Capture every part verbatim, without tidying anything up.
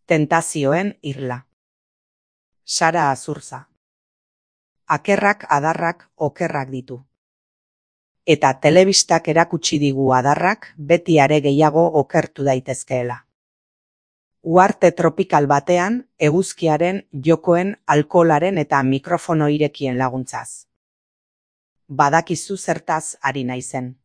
Tentazioen irla. Sara Azurza. Akerrak adarrak okerrak ditu. Eta telebistak erakutsi digu adarrak beti are gehiago okertu daitezkeela. Uharte tropikal batean, eguzkiaren, jokoen, alkoholaren eta mikrofono irekien laguntzaz. Badakizu zertaz ari naizen.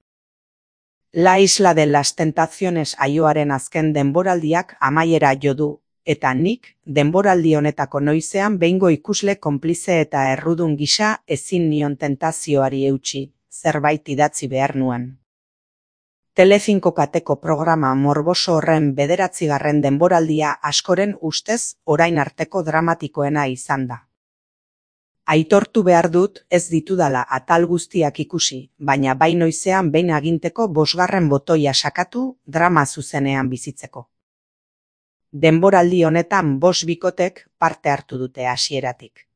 La Isla de las Tentaciones aioaren azken denboraldiak amaiera jo du, eta nik, denboraldi honetako noizean behingo ikusle konplize eta errudun gisa ezin nion tentazioari eutsi, zerbait idatzi behar nuen. Telecinco kateko programa morboso horren bederatzigarren denboraldia askoren ustez orain arteko dramatikoena izan da. Aitortu behar dut ez ditudala atal guztiak ikusi, baina bai noizean behin aginteko bosgarren botoia sakatu drama zuzenean bizitzeko. Denboraldi honetan bost bikotek parte hartu dute hasieratik.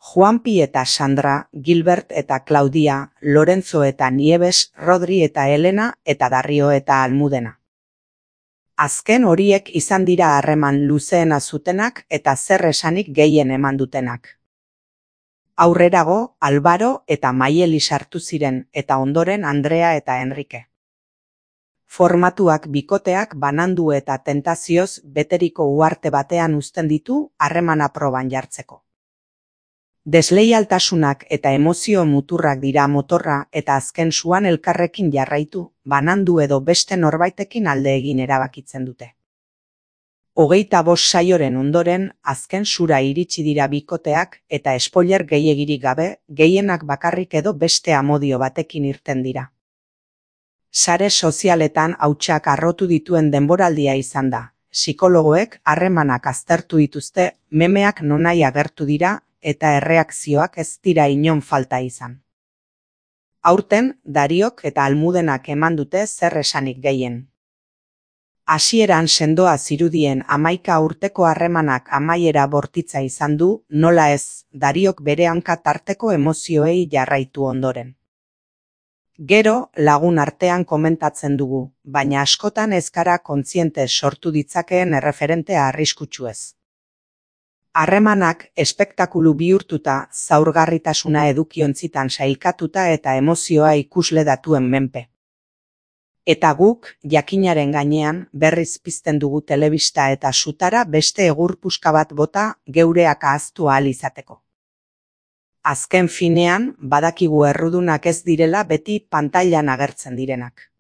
Juanpi eta Sandra, Gilbert eta Claudia, Lorenzo eta Nieves, Rodri eta Elena eta Dario eta Almudena. Azken horiek izan dira harreman luzeena zutenak eta zer esanik gehien eman dutenak. Aurrerago, Albaro eta Maieli sartu ziren eta ondoren Andrea eta Enrique. Formatuak bikoteak banandu eta tentazioz beteriko uharte batean uzten ditu harremana proban jartzeko. Desleialtasunak eta emozio muturrak dira motorra eta azken suan elkarrekin jarraitu, banandu edo beste norbaitekin alde egin erabakitzen dute. Hogeita bost saioren ondoren, azken sura iritsi dira bikoteak eta spoiler gehiegirik gabe, gehienak bakarrik edo beste amodio batekin irten dira. Sare sozialetan hautsak harrotu dituen denboraldia izan da. Psikologoek harremanak aztertu dituzte, memeak nonahi agertu dira eta erreakzioak ez dira inon falta izan. Aurten, Dariok eta Almudenak eman dute zer esanik gehien. Hasieran sendoa zirudien hamaika urteko harremanak amaiera bortitza izan du, nola ez, Dariok bere hanka tarteko emozioei jarraitu ondoren. Gero, lagun artean komentatzen dugu, baina askotan ez gara kontziente sortu ditzakeen erreferentea arriskutsuez. Harremanak espektakulu bihurtuta, zaurgarritasuna edukiontzitan sailkatuta eta emozioa ikusle datuen menpe. Eta guk, jakinaren gainean, berriz pizten dugu telebista eta sutara beste egur puska bat bota geureak ahaztu ahal izateko. Azken finean, badakigu errudunak ez direla beti pantailan agertzen direnak.